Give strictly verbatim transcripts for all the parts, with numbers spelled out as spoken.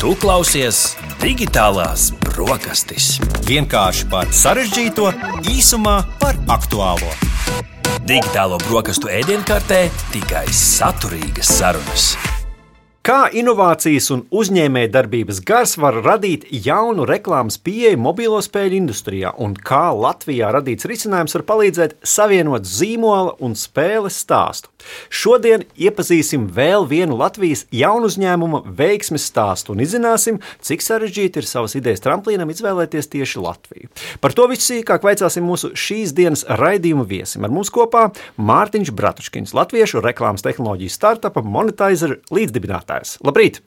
Tu klausies Digitālās brokastis. Vienkārši par sarežģīto, īsumā par aktuālo. Digitālo brokastu ēdienkartē tikai saturīgas sarunas. Kā inovācijas un uzņēmējdarbības gars var radīt jaunu reklāmas pieeju mobilo spēļu industrijā un kā Latvijā radīts risinājums var palīdzēt savienot zīmola un spēles stāstu. Šodien iepazīsim vēl vienu Latvijas jaunu uzņēmuma veiksmes stāstu un izzināsim, cik sarežģīti ir savas idejas tramplīnam izvēlēties tieši Latviju. Par to visu sīkāk vaicāsim mūsu šīs dienas raidījuma viesim. Ar mums kopā Mārtiņš Bratuškins, latviešu reklāmas tehnoloģiju startupa Monetizer līdzdibinātājs. Labrīt!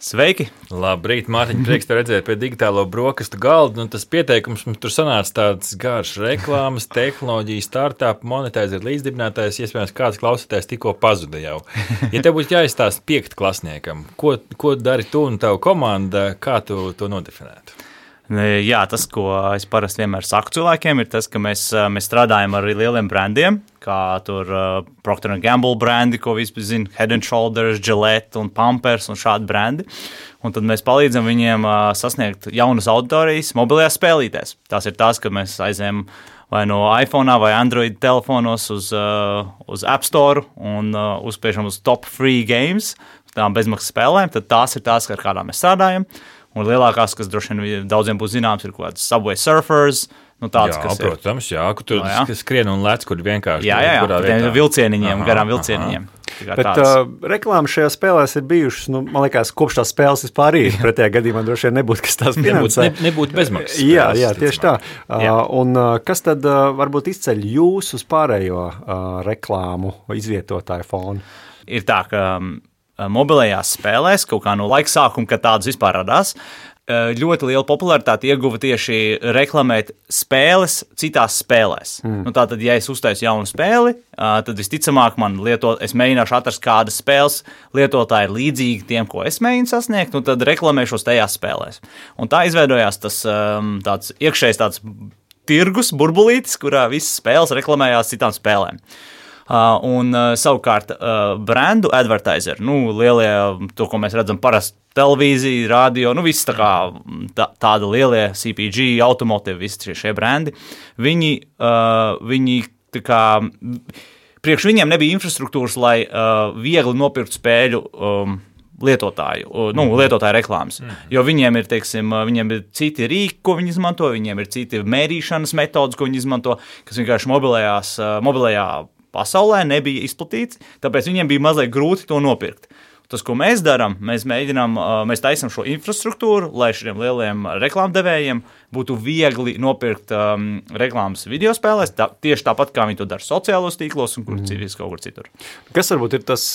Sveiki! Labrīt, Mārtiņ, prieks te redzēt pie digitālo brokastu galda. Un tas pieteikums mums tur sanāca tāds garš reklāmas, tehnoloģiju, startup, Monetizer līdzdibinātājs. Iespējams, kāds klausītājs tikko pazuda jau. Ja tev būtu jāizstāsta piektklasniekam, ko, ko dari tu un tavu komanda, kā tu to nodefinētu? Jā, tas, ko es parasti vienmēr saku cilvēkiem, ir tas, ka mēs, mēs strādājam ar lieliem brandiem, kā tur uh, Procter and Gamble brandi, ko vispār zina, Head and Shoulders, Gillette un Pampers un šādi brandi. Un tad mēs palīdzam viņiem uh, sasniegt jaunas auditorijas mobilajās spēlītēs. Tās ir tās, ka mēs aizējam vai no iPhone vai Android telefonos uz, uh, uz App Store un uh, uzspiežam uz top free games, tām bezmaksas spēlēm, tad tās ir tās, ar kādām mēs strādājam. Un lielākās, kas droši vien daudziem būs zināms, ir kaut kāds Subway Surfers. Nu, tāds, jā, kas protams, jā, kur tur no, jā. skrien un lec, kur vienkārši... Jā, jā, jā, jā vilcieniņiem, aha, garām vilcieniņiem. Bet uh, reklāmas šajā spēlēs ir bijušas, nu, man liekas, kopš tās spēles vispār ir. Pretējā gadījumā droši vien nebūtu, kas tās finansē. Nebūtu, nebūtu bezmaksas. Jā, jā, tieši tā. Uh, un uh, kas tad uh, varbūt izceļ jūs uz pārējo uh, reklāmu izvietotāju fonu? Ir tā, ka... Um, mobilajās spēlēs, kaut kā no laika sākuma, kad tādas vispār radās, ļoti liela popularitāte ieguva tieši reklamēt spēles citās spēlēs. Mm. Nu, tātad, ja es uztaisu jaunu spēli, tad visticamāk man lieto, es mēģināšu atrast, kādas spēles lietotāji ir līdzīgi tiem, ko es mēģinu sasniegt, un tad reklamēšos tajās spēlēs. Un tā izveidojās tas tāds iekšējs tāds tirgus, burbulītis, kurā visas spēles reklamējās citām spēlēm. Uh, un uh, savukārt uh, brandu advertiser, nu, lielie, to, ko mēs redzam parasti televīzija, radio, nu, viss tā kā tā, tāda lielie C P G, automotive, visi šie, šie brandi, viņi, uh, viņi tā kā, priekš viņiem nebija infrastruktūras, lai uh, viegli nopirkt spēļu um, lietotāju, nu, lietotāju reklāmas, mm. jo viņiem ir, teiksim, viņiem ir citi rīki, ko viņi izmanto, viņiem ir citi mērīšanas metodas, ko viņi izmanto, kas vienkārši mobilajās, mobilajā pasaulē nebija izplatīts, tāpēc viņiem bija mazliet grūti to nopirkt. Tas, ko mēs darām, mēs mēģinām, mēs taisam šo infrastruktūru, lai šiem lieliem reklāmdevējiem būtu viegli nopirkt um, reklāmas videospēlēs, tā, tieši tāpat, kā viņi to dara sociālos tīklos un kur mm. civis kaut kur citur. Kas varbūt ir tas,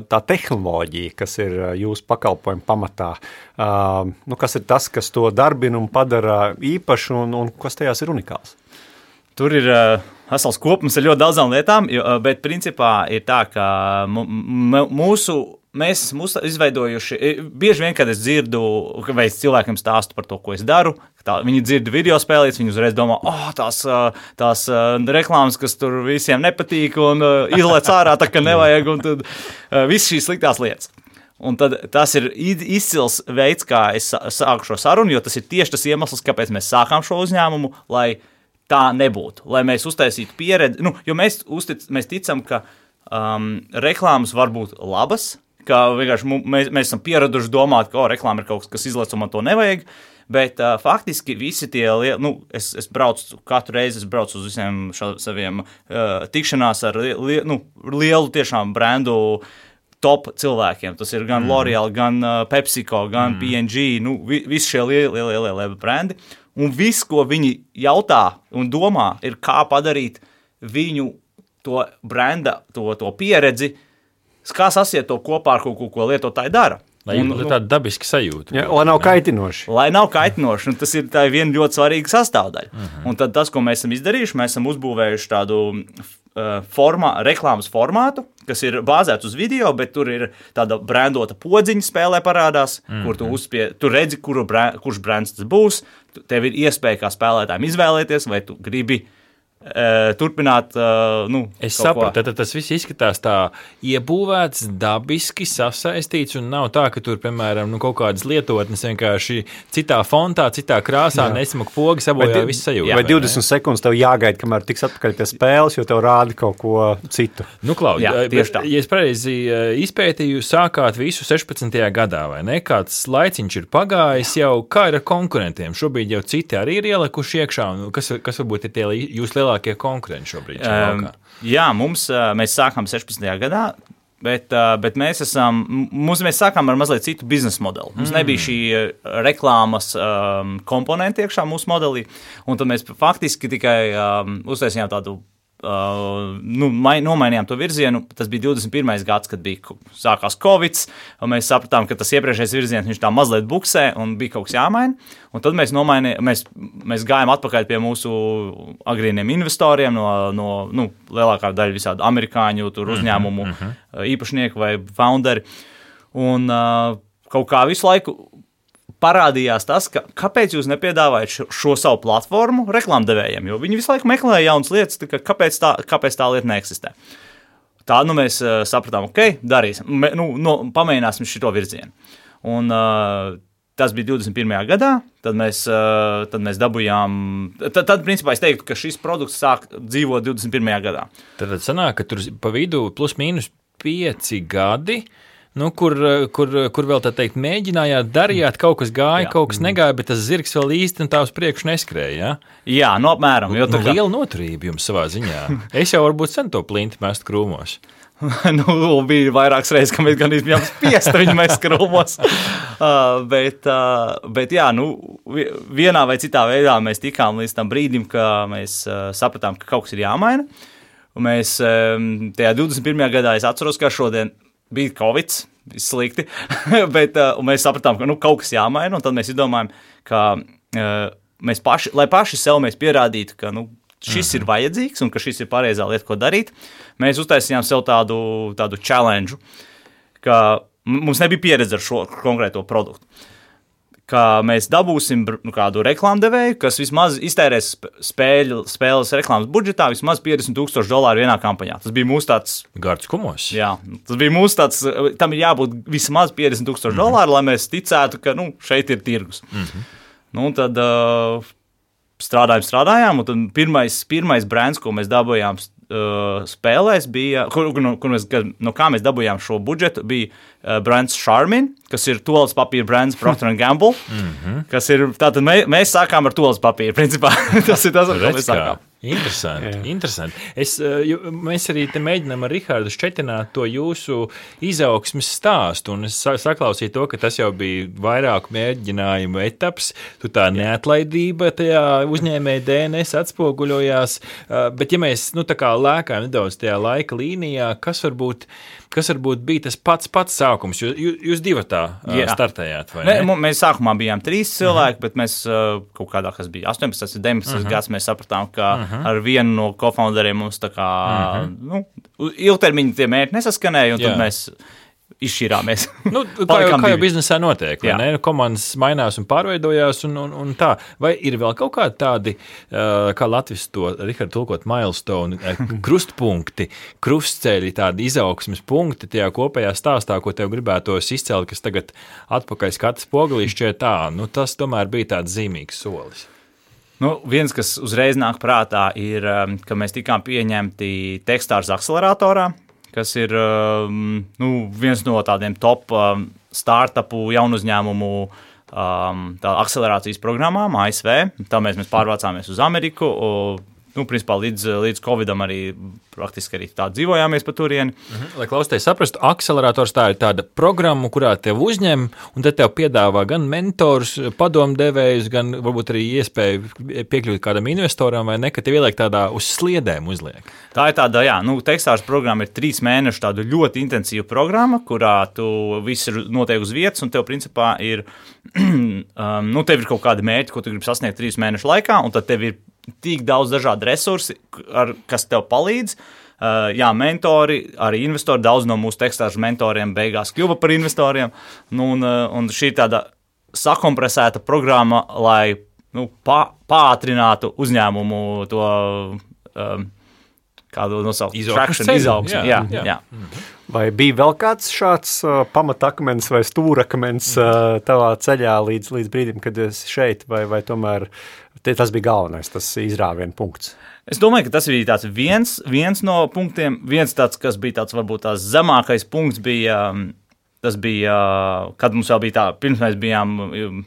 tā tehnoloģija, kas ir jūsu pakalpojumu pamatā? Uh, nu, kas ir tas, kas to darbina un padara īpašu un, un kas tajās ir unikāls? Tur ir uh, vesels kopums ar ļoti daudzām lietām, jo, bet principā ir tā, ka mūsu, mēs mūsu izveidojuši, bieži vien, kad es dzirdu, vai es cilvēkiem stāstu par to, ko es daru, tā, viņi dzird video spēlītes, viņi uzreiz domā, oh, tās, tās reklāmas, kas tur visiem nepatīk un uh, izlec ārā, tā ka nevajag, un tad uh, viss šīs sliktās lietas. Un tad tas ir izcils veids, kā es sāku šo sarunu, jo tas ir tieši tas iemesls, kāpēc mēs sākām šo uzņēmumu, lai tā nebūtu, lai mēs uztaisītu pieredzi, nu, jo mēs, uztic, mēs ticam, ka um, reklāmas var būt labas, ka vienkārši mēs, mēs esam pieraduši domāt, ka o, reklāma ir kaut kas, kas izlec un man to nevajag, bet uh, faktiski visi tie, nu, es, es braucu, katru reizi es braucu uz visiem ša, saviem uh, tikšanās ar li, nu, lielu tiešām brandu top cilvēkiem, tas ir gan mm. L'Oreal, gan uh, PepsiCo, gan mm. P and G, nu, vi, visi šie lielie, lielie, lielie, lielie brandi. Un viss, ko viņi jautā un domā, ir kā padarīt viņu to branda, to, to pieredzi, kā sasiet to kopā ar kaut ko, ko lietotāji dara. Lai ir tāda dabiska sajūta. Ja, lai nav kaitinoši. Lai nav kaitinoši, un tas ir tā viena ļoti svarīga sastāvdaļa. Uh-huh. Un tad tas, ko mēs esam izdarījuši, mēs esam uzbūvējuši tādu uh, formā, reklāmas formātu, kas ir bāzēts uz video, bet tur ir tāda brandota podziņa spēlē parādās, uh-huh. kur tu, uzspie, tu redzi, kuru brand, kurš brands tas būs, tev ir iespēja kā spēlētājiem izvēlēties, vai tu gribi uh, turpināt. Uh, nu, es saprotu, tad tas viss izskatās tā iebūvēts, dabiski sasaistīts, un nav tā, ka tur, piemēram, nu, kaut kādas lietotnes vienkārši citā fontā, citā krāsā, nesmuk pogi, sabojā visu sajūtu. Vai divdesmit sekundes tev jāgaida, kamēr tiks atpakaļ pie spēles, jo tev rāda kaut ko citu? Nu, Klaud, Jā, tieši tā. Ja es pareizi izpētīju, sākāt visu sešpadsmitajā gadā, vai ne? Kāds laiciņš ir pagājis jau, kā ir ar konkurentiem? Šobrīd jau citi arī ir ielikuši iekšā, un kas, kas varbūt ir tie jūs lielākie konkurenti šobrīd? Um, jā, mums, mēs sākām sešpadsmitajā gadā, bet, bet mēs, esam, mums, mēs sākām ar mazliet citu biznesa modeli. Mums mm. nebija šī reklāmas um, komponenti iekšā mūsu modelī, un tad mēs faktiski tikai um, uztaisījām tādu Uh, nu, mai, nomainījām to virzienu. Tas bija divdesmit pirmais gads, kad bija sākās Covid, un mēs sapratām, ka tas iepriekšējais virziens viņš tā mazliet buksē un bija kaut kas jāmaina. Un tad mēs, mēs, mēs gājām atpakaļ pie mūsu agrīniem investoriem, no, no nu, lielākā daļa visādi amerikāņu tur uzņēmumu mm-hmm. īpašnieku vai founderi. Un uh, kaut kā visu laiku parādījās tas, ka kāpēc jūs nepiedāvājat šo, šo savu platformu reklāmdevējiem, jo viņi visu laiku meklē jaunas lietas, ka kāpēc tā, kāpēc tā lieta neeksistē. Tā nu mēs uh, sapratām, ok, darīsim, Me, nu, no, pamēģināsim šito virzienu. Un uh, tas bija divdesmit pirmajā gadā, tad mēs, uh, tad mēs dabujām, tad, tad principā es teiktu, ka šis produkts sāk dzīvot divdesmit pirmajā gadā. Tad sanāk, ka tur pa vidu plus mīnus pieci gadi, Nu, kur, kur, kur vēl tā teikt, mēģinājāt, darījāt, kaut kas gāja, jā. Kaut kas negāja, bet tas zirgs vēl īsti un tā uz priekšu neskrēja. Ja? Jā, no apmēram. Jo nu, kā... liela noturība jums savā ziņā. Es jau varbūt sen to plinti mest krūmos. nu, bija vairākas reizes, ka mēs gan bijām spiesti viņu mest krūmos. uh, bet, uh, bet jā, nu, vienā vai citā veidā mēs tikām līdz tam brīdim, ka mēs uh, sapratām, ka kaut kas ir jāmaina. Un mēs um, tajā divdesmit pirmajā gadā, es atceros, ka šodien bija Covid, viss slikti, bet uh, mēs sapratām, ka nu, kaut kas jāmaina, un tad mēs izdomājam, ka uh, mēs paši, lai paši sev mēs pierādītu, ka nu, šis ir vajadzīgs un ka šis ir pareizā lieta, ko darīt, mēs uztaisījām sev tādu, tādu challenge, ka mums nebija pieredze ar šo konkrēto produktu. Ka mēs dabūsim nu, kādu reklāmdevēju, kas vismaz iztērēs spēļu, spēles reklāmas budžetā vismaz piecdesmit tūkstoši dolāru vienā kampaņā. Tas bija mūsu tāds... Gards kumos. Jā, tas bija mūsu tāds... Tam ir jābūt vismaz piecdesmit tūkstoši mm-hmm. dolāru, lai mēs ticētu, ka nu, šeit ir tirgus. Mm-hmm. Nu, tad uh, strādājām, strādājām, un tad pirmais, pirmais brands, ko mēs dabūjām uh, spēlēs, bija... Kur, no, kur mēs, no kā mēs dabūjām šo budžetu, bija uh, brands Charmin, kas ir toalas papīra brands Procter and Gamble, mm-hmm. kas ir, tātad mē, mēs sākām ar toalas papīru, principā, tas ir tas, ar ko mēs sākām. Interesanti, yeah. interesanti. Es, mēs arī te mēģinām ar Rihardu šķetināt to jūsu izaugsmes stāstu, un es saklausīju to, ka tas jau bija vairāku mēģinājumu etaps, tu tā neatlaidība tajā uzņēmēja D N S atspoguļojās, bet ja mēs, nu tā kā lēkājam nedaudz tajā laika līnijā, kas varbūt Kas varbūt bija tas pats pats sākums? Jūs, jūs divatā uh, startējāt, vai ne? ne? Mēs sākumā bijām trīs cilvēki, uh-huh. bet mēs uh, kaut kādā, kas bija astoņpadsmit, deviņpadsmit uh-huh. gads, mēs sapratām, ka uh-huh. ar vienu no cofounderiem mums tā kā, uh-huh. nu, ilgtermiņa tie mērķi nesaskanēja, un Jā. tad mēs izšķirāmies. Nu, kā, jau, kā jau biznesā notiek, vai ne? Komandas mainās un pārveidojās un, un, un tā. Vai ir vēl kaut kādi tādi, uh, kā Latvijas to, Rihards, tulkot milestone, krustpunkti, krustceļi, tādi izaugsmes punkti tajā kopējā stāstā, ko tev gribētos izcelt, kas tagad atpakaļ skatas pogalīšķē tā, nu tas tomēr bija tāds zīmīgs solis. Nu, viens, kas uzreiz nāk prātā, ir, ka mēs tikām pieņemti Techstars akceleratorā, kas ir um, nu, viens no tādiem top um, startupu jaunu uzņēmumu um, akcelerācijas programmām A S V. Tā mēs, mēs pārvācāmies uz Ameriku. Un, nu, principā līdz, līdz Covidam arī praktiski arī tā dzīvojāmies pa turieni. Mhm. Lai klausītājs saprastu, akcelerators tā ir tāda programma, kurā tev uzņem, un tad tev piedāvā gan mentors, padomdevējus, gan varbūt arī iespēju piekļūt kādam investoram, vai ne, ka tev ieliek tādā uz sliedēm uzliek. Tā ir tāda, jā, nu, Techstars programma ir trīs mēnešu tādu ļoti intensīvu programma, kurā tu viss ir notiek uz vietas, un tev principā ir, um, nu, tev ir kaut kādi mērķi, ko tu gribi sasniegt trīs mēnešu laikā, un tad tev ir tik daudz dažādu resursi, ar, kas tev palīdz. Uh, jā, mentori, arī investori, daudz no mūsu Techstars mentoriem beigās kļuva par investoriem. Nu, un, un šī ir tāda sakompresēta programma, lai nu, pā, pātrinātu uzņēmumu to um, kādu nosaukt, Izaugsmes traction, ceļu, izaugsmi. jā, Jā, jā. jā. Vai bija vēl kāds šāds uh, pamatakmens vai stūrakmens uh, tavā ceļā līdz, līdz brīdim, kad esi šeit, vai, vai tomēr te, tas bija galvenais, tas izrāviena punkts? Es domāju, ka tas bija tāds viens, viens no punktiem, viens tāds, kas bija tāds varbūt tās zemākais punkts bija, tas bija, kad mums vēl bija tā, pirms mēs bijām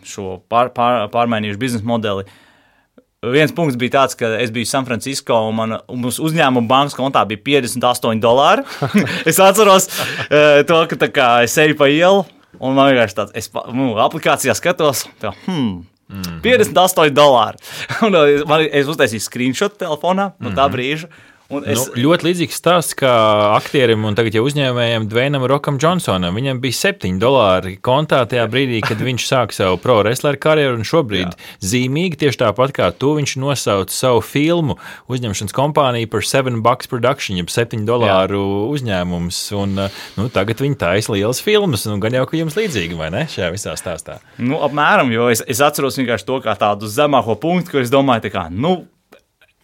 šo pār, pār, pārmainījuši biznesa modeli. Viens punkts bija tāds, ka es biju San Francisco un man uz uzņēmuma bankas kontā bija piecdesmit astoņi dolāri. Es atceros uh, to, ka tā kā es eju pa ielu un man vienkārši tāds, es nu, aplikācijā skatos, tā, hmm, mm-hmm. piecdesmit astoņi dolāri. Un man, es uztaisīju screenshot telefonā no tā brīža. Es... Nu, ļoti līdzīgs stāsts kā aktierim un tagad jau uzņēmējiem Dvainam Rokam Johnsonam. Viņam bija septiņi dolāri kontā tajā brīdī, kad viņš sāka savu pro wrestleru karjeru, un šobrīd Jā. zīmīgi tieši tāpat kā tu, viņš nosauca savu filmu uzņemšanas kompāniju par seven bucks production, jeb septiņu dolāru Jā. uzņēmums, un nu, tagad viņi taisa lielas filmas, un gan jau, ka jums līdzīgi, vai ne, šajā visā stāstā? Nu, apmēram, jo es, es atceros vienkārši to kā tādu zemāko punktu, kur es domāju, tā kā, nu,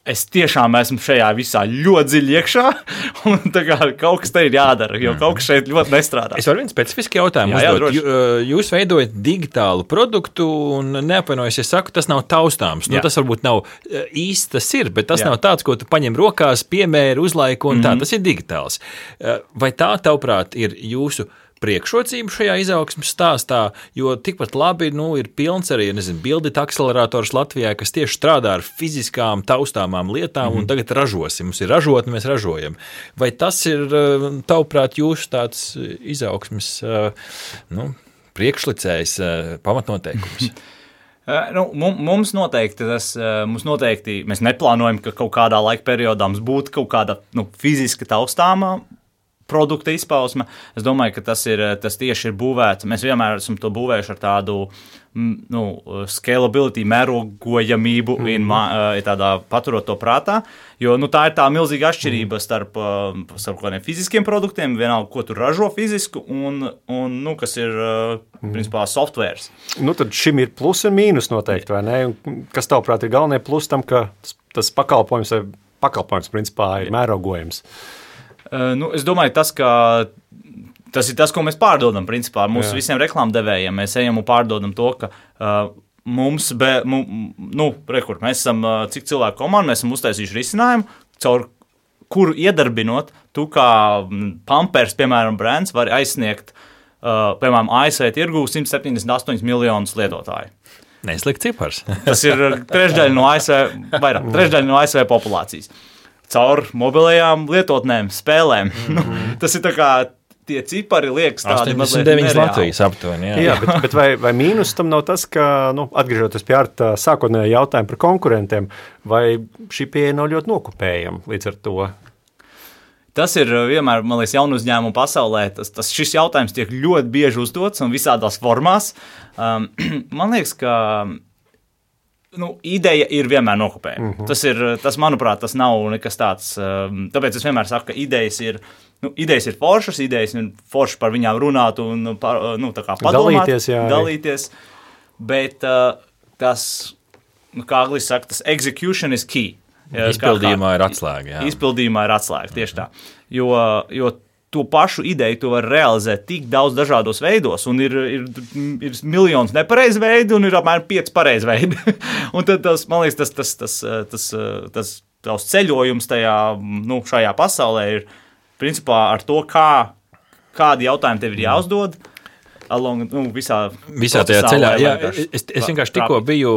es tiešām esmu šajā visā ļoti dziļi iekšā, un tā kā kaut kas te ir jādara, jo kaut kas šeit ļoti nestrādā. Es varu vienu specifisku jautājumu jā, uzdot. Jā, Jūs veidojat digitālu produktu, un neapvainojos, es saku, tas nav taustāms. Nu, tas varbūt nav īsti tas ir, bet tas jā. nav tāds, ko tu paņem rokās, piemēri, uzlaiku, un mm-hmm. tā, tas ir digitāls. Vai tā, tavuprāt, ir jūsu priekšrocību šajā izaugsmes stāstā, jo tikpat labi nu, ir pilns arī, nezinu, bildita akcelerators Latvijā, kas tieši strādā ar fiziskām taustāmām lietām mm. un tagad ražosim. Mums ir ražotni, mēs ražojam. Vai tas ir, tavuprāt, jūsu tāds izaugsmes nu, priekšlicējs pamatnoteikums? Nu, mums noteikti tas, mums noteikti, mēs neplānojam, ka kaut kādā laika periodā mums būtu kaut kāda nu, fiziska taustāmā produkta izpausme. Es domāju, ka tas, ir, tas tieši ir būvēts. Mēs vienmēr esam to būvējuši ar tādu nu, scalability, mērogojamību, mm-hmm. un tādā paturot to prātā, jo nu, tā ir tā milzīga atšķirība starp, starp kādiem fiziskiem produktiem, vienalga, ko tu ražo fizisku, un, un nu, kas ir, principā, softwares. Nu, tad šim ir plus un mīnus noteikti, vai ne? Kas tavuprāt ir galvenie plus tam, ka tas pakalpojums, pakalpojums principā, ir mērogojams? Uh, nu, es domāju, tas, ka tas ir tas, ko mēs pārdodam, principā, mūsu Jā. visiem reklāmdevējiem. Mēs ejam un pārdodam to, ka uh, mums, be, mu, nu, rekur, mēs esam, uh, cik cilvēku komanda, mēs esam uztaisījuši risinājumu, caur kuru iedarbinot, tu kā Pampers, piemēram, brands, vari aizsniegt, uh, piemēram, A S V tirgū simt septiņdesmit astoņi miljonus lietotāju. Neslikt cipars. Tas ir trešdaļa no A S V, vairāk, trešdaļa no A S V populācijas. Caur mobilajām lietotnēm, spēlēm. Mm-hmm. Tas ir tā kā tie cipari liekas tādi mazliet astoņdesmit deviņi Latvijas aptuveni. Jā, jā bet, bet vai, vai mīnus tam nav tas, ka, nu, atgriežoties pie Arta sākotnējā jautājuma par konkurentiem, vai šī pieeja nav ļoti nokopējama līdz ar to? Tas ir vienmēr, man liekas, jaunu uzņēmumu pasaulē. Tas, tas, šis jautājums tiek ļoti bieži uzdots un visādās formās. Um, man liekas, ka nu, ideja ir vienmēr nokopējama. Mm-hmm. Tas ir, tas, manuprāt, tas nav nekas tāds. Tāpēc es vienmēr saku, ka idejas ir, nu, idejas ir foršas, idejas ir foršas par viņām runāt un par, nu, tā kā padomāt, dalīties, jā, dalīties. Bet uh, tas, nu, kā angliski saka, tas execution is key. Izpildījumā ir atslēga. Jā. Izpildījumā ir atslēga, tieši tā. Jo, jo to pašu ideju tu vari realizēt tik daudz dažādos veidos, un ir, ir, ir miljons nepareizi veidi, un ir apmēram pieci pareizi veidi. Un tad, tas, man liekas, tas, tas, tas, tas, tas, tas ceļojums tajā, nu, šajā pasaulē ir principā ar to, kā, kādi jautājumi tev ir jāuzdod, along, nu, visā, visā tajā ceļā. Jā, es, es vienkārši tikko biju,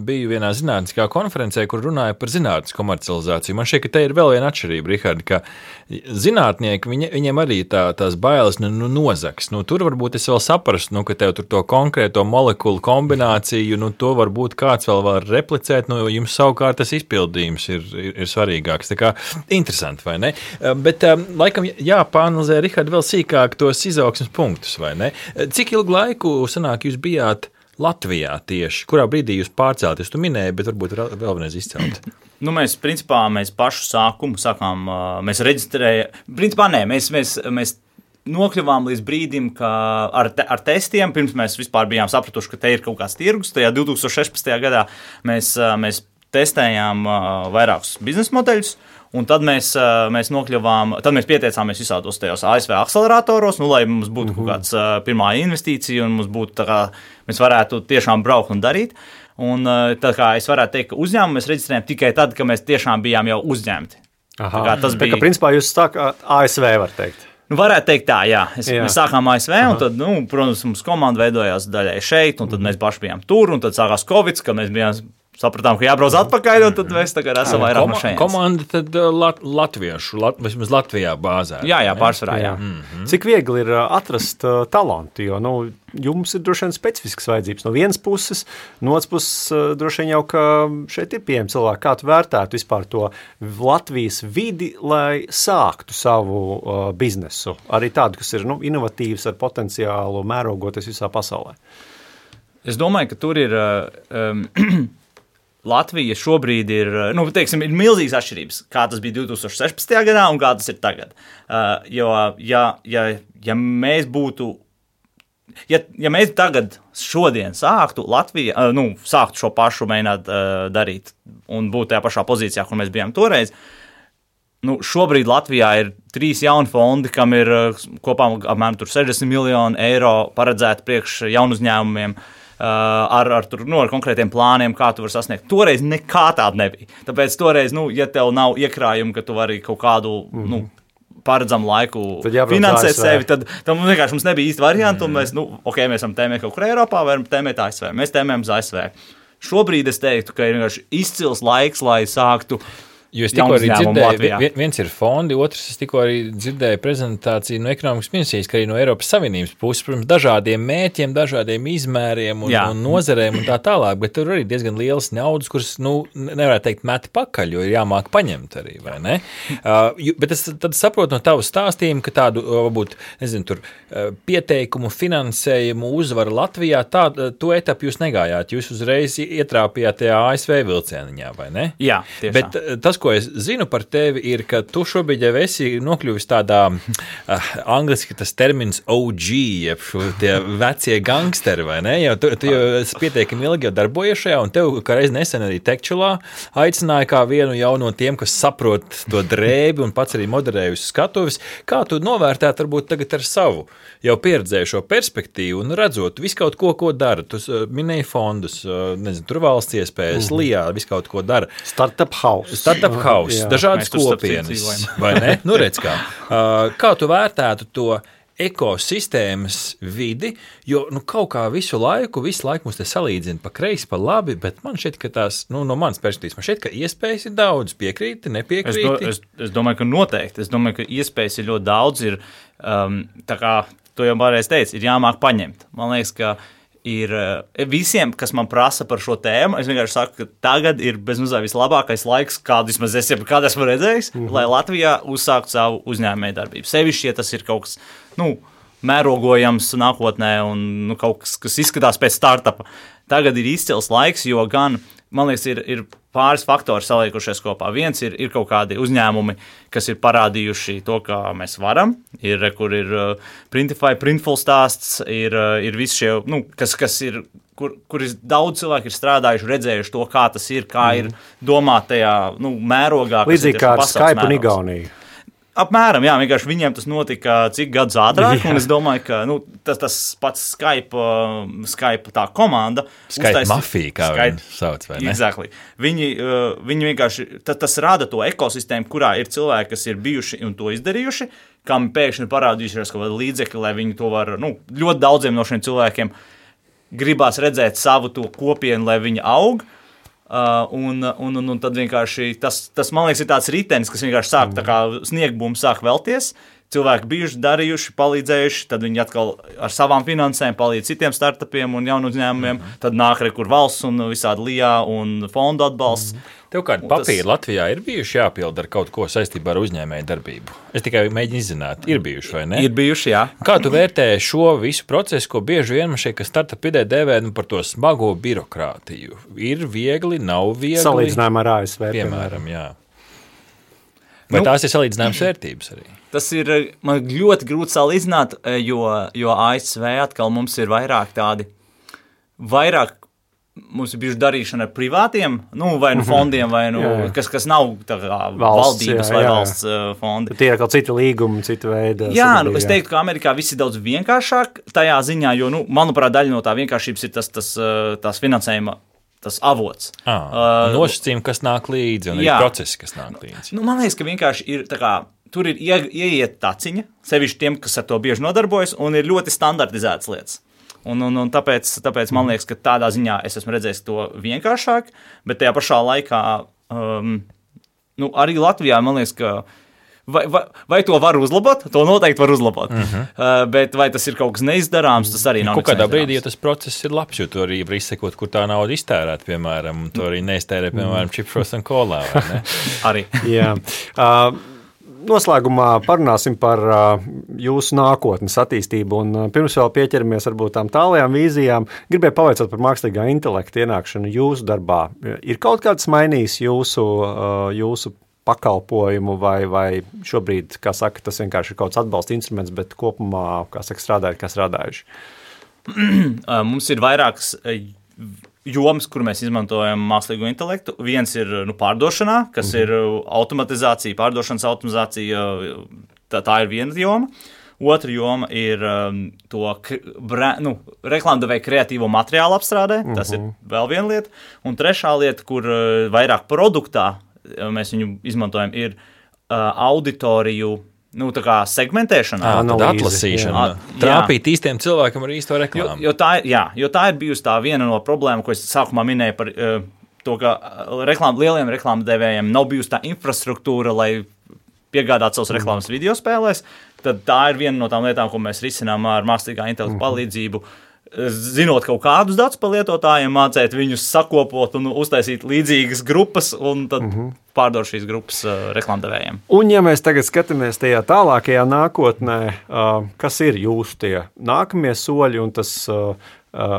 biju vienā zinātniskā konferencē, kur runāja par zinātnes komercializāciju. Man šķiet, ka te ir vēl viena atšķirība, Rihard, ka zinātnieki, viņi, viņiem arī tā, tās bailes nu, nu, nozaks. Nu, tur varbūt es vēl saprastu, nu, ka tev tur to konkrēto molekulu kombināciju, nu, to varbūt kāds vēl var replicēt, nu, jums savukārt tas izpildījums ir, ir, ir svarīgāks. Tā kā interesanti, vai ne? Bet, laikam, jāpāanalizē, Rihard, vēl sīkāk tos izaugsmes punktus, vai ne? Cik ilgu laiku sanāk jūs bijāt Latvijā tieši? Kurā brīdī jūs pārcēlaties? Tu minēji, bet varbūt vēl vienreiz izcelt. Nu, mēs, principā, mēs pašu sākumu sākām, mēs reģistrējām, principā, nē, mēs, mēs, mēs nokļuvām līdz brīdim, ka ar, te, ar testiem, pirms mēs vispār bijām sapratuši, ka te ir kaut kāds tirgus, tajā divtūkstoš sešpadsmitajā gadā mēs, mēs testējām uh, vairākus biznesa modeļus, un tad mēs, uh, mēs nokļuvām, tad mēs pieteicāmies visādos tajos A S V akceleratoros, nu, lai mums būtu mm-hmm. kaut kāds uh, pirmā investīcija, un mums būtu tā kā, mēs varētu tiešām braukt un darīt. Un uh, tā kā es varētu teikt, ka uzņēmumu mēs reģistrējām tikai tad, kad mēs tiešām bijām jau uzņemti. Aha. Tā kā tas tā bija... kā principā jūs sākāt A S V, var teikt. Nu, varētu teikt tā, jā. Es, jā. Mēs sākām A S V, Aha. un tad, nu, protams, mums komanda veidojās daļai šeit, un tad mēs paši bijām tur, un tad sākās Covid, kad mēs bijām, sapratām, ka jābrauc atpakaļ, un tad mēs tagad esam vairāk Koma, no šeit. Komanda tad lat, latviešu, lat, vismaz Latvijā bāzē. Jā, jā, pārsvarā, jā. Mm-hmm. Cik viegli ir atrast uh, talantu, jo, nu, jums ir droši vien specifiskas vajadzības no vienas puses, no otras puses uh, droši vien jau, ka šeit ir pieejami cilvēki. Kā tu vērtētu vispār to Latvijas vidi, lai sāktu savu uh, biznesu? Arī tādu, kas ir, nu, inovatīvs ar potenciālu mērogoties visā pasaulē. Es domāju, ka tur ir... Uh, um, Latvija šobrīd ir, nu, teiksim, ir milzīgas atšķirības, kā tas bija divtūkstoš sešpadsmitajā gadā un kā tas ir tagad. Uh, jo, ja, ja, ja mēs būtu, ja, ja mēs tagad šodien sāktu Latviju, uh, nu, sāktu šo pašu mēģināt uh, darīt un būt tajā pašā pozīcijā, kur mēs bijām toreiz, nu, šobrīd Latvijā ir trīs jauni fondi, kam ir uh, kopā apmēram sešdesmit miljoni eiro paredzēti priekš jaunu uzņēmumiem. Uh, ar, ar, tur, nu, ar konkrētiem plāniem, kā tu vari sasniegt. Toreiz nekā tāda nebija. Tāpēc toreiz, nu, ja tev nav iekrājumi, ka tu vari kaut kādu mm-hmm. nu, paredzamu laiku finansēt sevi, tad tam vienkārši mums nebija īsti varianti, mm-hmm. un mēs, nu, ok, mēs varam tēmēt kaut kur Eiropā, varam tēmēt A S V. Mēs tēmējam uz A S V. Šobrīd es teiktu, ka ir vienkārši izcils laiks, lai sāktu Jo es tikko arī dzirdēju, viens ir fondi, otrs es tikko arī dzirdēju prezentāciju no ekonomikas ministrijas, ka arī no Eiropas Savienības puses, protams, dažādiem mērķiem, dažādiem izmēriem un, un nozarēm un tā tālāk, bet tur arī diezgan lielas naudas, kuras, nu, nevarētu teikt meti pakaļ, jo ir jāmāk paņemt arī, vai ne? Uh, bet es tad saprotu no tavu stāstījumu, ka tādu, varbūt, nezinu, tur pieteikumu, finansējumu uzvaru Latvijā, tā, to etapu jūs negājāt, jūs uzreiz ietrāpījāt tajā A S V vilcieniņā, vai ne? Jā, tieši bet tā. Tas, ko es zinu par tevi, ir, ka tu šobrīd jau esi nokļuvis tādā, uh, angliski tas termins O G, jeb šo tie vecie gangsteri, vai ne? Jo tu, tu jau esi pietiekami ilgi jau darbojies šajā, un tev, kā reiz nesen arī Tekčulā, aicināja kā vienu jau no tiem, kas saprot to drēbi un pats arī moderēja uz skatuves. Kā tu novērtētu varbūt tagad ar savu jau pieredzējušo perspektīvu un redzot visu kaut ko, ko dara? Tu minēji fondus, nezinu, tur valsts iespējas, mm-hmm. Lijā, visu kaut ko dara. Startup house. Startup house, dažādas kopienas, vai ne? Nu, redz kā. Uh, kā tu vērtētu to ekosistēmas vidi, jo nu, kaut kā visu laiku, visu laiku mums te salīdzina pa kreisi, pa labi, bet man šķiet, ka tās, nu, no manas perspektīvas, man šķiet, ka iespējas ir daudz, piekrīti, nepiekrīti. Es, do, es, es domāju, ka noteikti. Es domāju, ka iespējas ir ļoti daudz, ir, um, tā kā tu jau pārējais teici, ir jāmāk paņemt. Man liekas, ka ir visiem, kas man prasa par šo tēmu, es vienkārši saku, ka tagad ir bezmazliet vislabākais laiks, kādu vismaz es jau kādu esmu redzējis, mm-hmm. lai Latvijā uzsāktu savu uzņēmēju darbību. Sevišķi, ja tas ir kaut kas, nu, mērogojams nākotnē un nu, kaut kas, kas izskatās pēc startupa. Tagad ir izcils laiks, jo gan, man liekas, ir, ir pāris faktori saliekušies kopā. Viens ir, ir kaut kādi uzņēmumi, kas ir parādījuši to, kā mēs varam. Ir, kur ir uh, Printify, Printful stāsts, ir, uh, ir visi šie, nu, kas, kas ir, kur, kur ir daudz cilvēku ir strādājuši, redzējuši to, kā tas ir, kā mm. ir domāt tajā, nu, mērogā. Līdzīgi kā ar Skype un Igauniju. Apmēram, jā, vienkārši viņiem tas notika cik gadus ātrāk, jā. Un es domāju, ka nu, tas, tas pats Skype, uh, Skype tā komanda. Skype uztais, mafija, kā Skype, viņi sauc, vai ne? Exactly. Viņi, uh, viņi vienkārši, tas, tas rada to ekosistēmu, kurā ir cilvēki, kas ir bijuši un to izdarījuši, kam pēkšņi parādījušies kaut kāda līdzekļa, lai viņi to var, nu, ļoti daudziem no šiem cilvēkiem gribās redzēt savu to kopienu, lai viņi aug. Uh, un, un, un, un tad vienkārši tas, tas, man liekas, ir tāds ritenis, kas vienkārši sāk, tā kā sniegbums sāk velties. Cilvēki bijuši, darījuši, palīdzējuši, tad viņi atkal ar savām finansēm palīdz citiem startupiem un jaunu uzņēmumiem, mm-hmm. tad nāk rekur valsts un visādi lijā un fondu atbalsts. Mm-hmm. Tev kādi papīri tas... Latvijā ir bijuši jāpild ar kaut ko saistībā ar uzņēmēju darbību? Es tikai mēģinu izzināt, ir bijuši vai ne? Ir bijuši, jā. Kā tu vērtē šo visu procesu, ko bieži vien man šeit, ka startup idē dēvē nu, par to smago birokrātiju? Ir viegli, nav viegli? Salīdzinājumā ar A S V. Piemēram, jā. Vai nu, tās ir salīdzinājums vērtības arī? Tas ir man ļoti grūti salīdzināt, jo, jo A S V atkal mums ir vairāk tādi, vairāk mums ir bijuši darīšana ar privātiem, nu, vai nu fondiem, vai nu, Jā, jā. kas, kas nav tā kā Valsts, valdības jā, vai jā. valsts uh, fondi. Tie ir kaut citi līgumi, cita veida. Jā, nu, sadarbība, es teiktu, ka Amerikā viss ir daudz vienkāršāk tajā ziņā, jo, nu, manuprāt, daļa no tā vienkāršības ir tas, tas, uh, tās finansējuma tas avots. Ah, Uh, Nosacījumi, kas nāk līdzi, un jā. ir procesi, kas nāk līdzi. Nu, man liekas, ka vienkārši ir tā kā, tur ir ie, ieiet taciņa, sevišķi tiem, kas ar to bieži nodarbojas, un ir ļoti standartizētas lietas. Un, un, un tāpēc, tāpēc man liekas, ka tādā ziņā es esmu redzējis to vienkāršāk, bet tajā pašā laikā um, nu, arī Latvijā man liekas, ka vai, vai, vai to var uzlabot? To noteikti var uzlabot. Uh -huh. uh, bet vai tas ir kaut kas neizdarāms, tas arī nav. Kaut kādā brīdī, ja tas process ir labs, jo tu arī var izsekot, kur tā nauda iztērēt, piemēram, un tu arī neiztērē, piemēram, čipšos un kolā, vai ne? Arī. Jā. Uh, Noslēgumā parunāsim par uh, jūsu nākotnes attīstību. Un, uh, pirms vēl pieķeramies varbūt tām tālajām vīzijām, gribēju pavaicāt par mākslīgā intelekta ienākšanu jūsu darbā. Ir kaut kāds mainījis jūsu, uh, jūsu pakalpojumu, vai, vai šobrīd, kā saka, tas vienkārši ir kaut kāds atbalsta instruments, bet kopumā, kā saka, strādājot, kā strādājuši? Mums ir vairākas jomas, kur mēs izmantojam mākslīgo intelektu. Viens ir nu, pārdošanā, kas mm-hmm. ir automatizācija, pārdošanas automatizācija. Tā, tā ir viena joma. Otra joma ir um, to brē, nu, reklāmdevēja kreatīvo materiālu apstrādē. Mm-hmm. Tas ir vēl viena lieta. Un trešā lieta, kur uh, vairāk produktā mēs viņu izmantojam, ir uh, auditoriju. Nu, tā kā segmentēšana, tāda atlasīšana, trāpīt īstiem cilvēkam ar īsto reklāmu. Jo, jo, tā, jā, jo tā ir bijusi tā viena no problēmām, ko es sākumā minēju par uh, to, ka reklām, lieliem reklāmdevējiem nav bijusi tā infrastruktūra, lai piegādātu savus reklāmas video spēlēs. Tad tā ir viena no tām lietām, ko mēs risinām ar mākslīgā intelekta palīdzību. Zinot kaut kādus datus par lietotājiem, mācīt viņus sakopot un uztaisīt līdzīgas grupas, un tad uh-huh. pārdot šīs grupas uh, reklāmdevējiem. Un, ja mēs tagad skatāmies tajā tālākajā nākotnē, uh, kas ir jūsu tie nākamie soļi un tas uh, uh,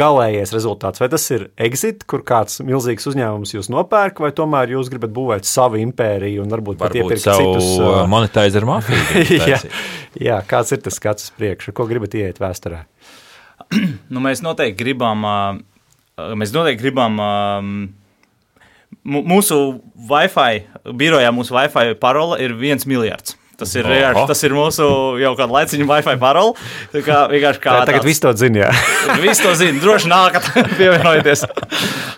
galējais rezultāts? Vai tas ir exit, kur kāds milzīgs uzņēmums jūs nopērk, vai tomēr jūs gribat būvēt savu impēriju un varbūt, varbūt pat iepirkt citus? Uh, monetizeru mafiju. jā, jā, kāds ir tas skats uz priekšu? Ko gribat ieiet vēsturē? Nu, mēs noteikti gribam, mēs noteikti gribam mūsu Wi-Fi, birojā mūsu Wi-Fi parola ir viens miljards. Tas ir, oh. tas ir mūsu jau kāda laiciņa Wi-Fi parola. Tā kā vienkārši kā tā, tagad viss to zina, jā. Viss to zina, droši nākat pievienojieties.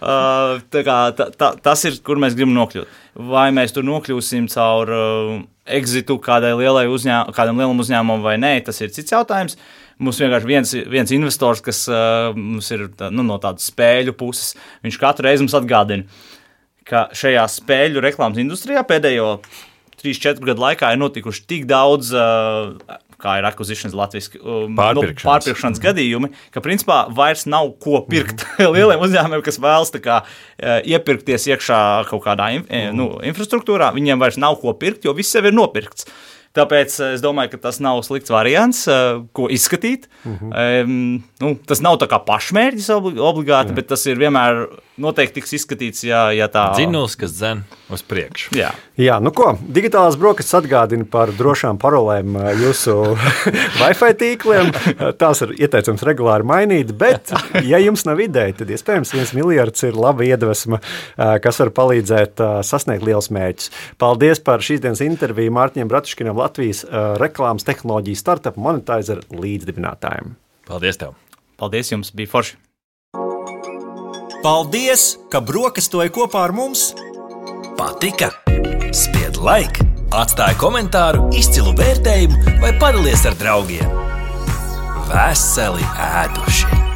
Uh, tā kā tā, tā, tas ir, kur mēs gribam nokļūt. Vai mēs tur nokļūsim caur uh, exitu kādai lielai uzņēmumam, kādam lielam uzņēmumam vai nē, tas ir cits jautājums. Mums vienkārši viens, viens investors, kas uh, mums ir tā, nu, no tādas spēļu puses, viņš katru reizi mums atgādina, ka šajā spēļu reklāmas industrijā pēdējo trīs četru gadu laikā ir notikuši tik daudz, uh, kā ir acquisitions latviski, um, pārpirkšanas, no, pārpirkšanas gadījumi, ka principā vairs nav ko pirkt mm-hmm. lieliem uzņēmumiem, kas vēlas tā kā uh, iepirkties iekšā kaut kādā in, mm-hmm. nu, infrastruktūrā, viņiem vairs nav ko pirkt, jo viss jau ir nopirkts. Tāpēc es domāju, ka tas nav slikts variants, ko izskatīt. Mm-hmm. Um, nu, tas nav tā kā pašmērķis obligāti, jā. Bet tas ir vienmēr noteikti tiks izskatīts, ja, ja tā... Dzinuls, kas dzen uz priekšu. Jā. Jā, nu ko, digitālās brokastis atgādina par drošām parolēm jūsu Wi-Fi tīkliem. Tās ir ieteicams regulāri mainīt, bet, ja jums nav ideja, tad iespējams viens miljards ir laba iedvesma, kas var palīdzēt sasniegt liels mērķus. Paldies par šīs dienas interviju Mārtiņam Bratuškinam, Latvijas uh, reklāmas tehnoloģiju startup Monetizer līdzdibinātājiem. Paldies tev! Paldies jums, bija forši! Paldies, ka brokastoji kopā ar mums! Patika? Spied like, atstāj komentāru, izcilu vērtējumu vai padalies ar draugiem. Veseli ēduši!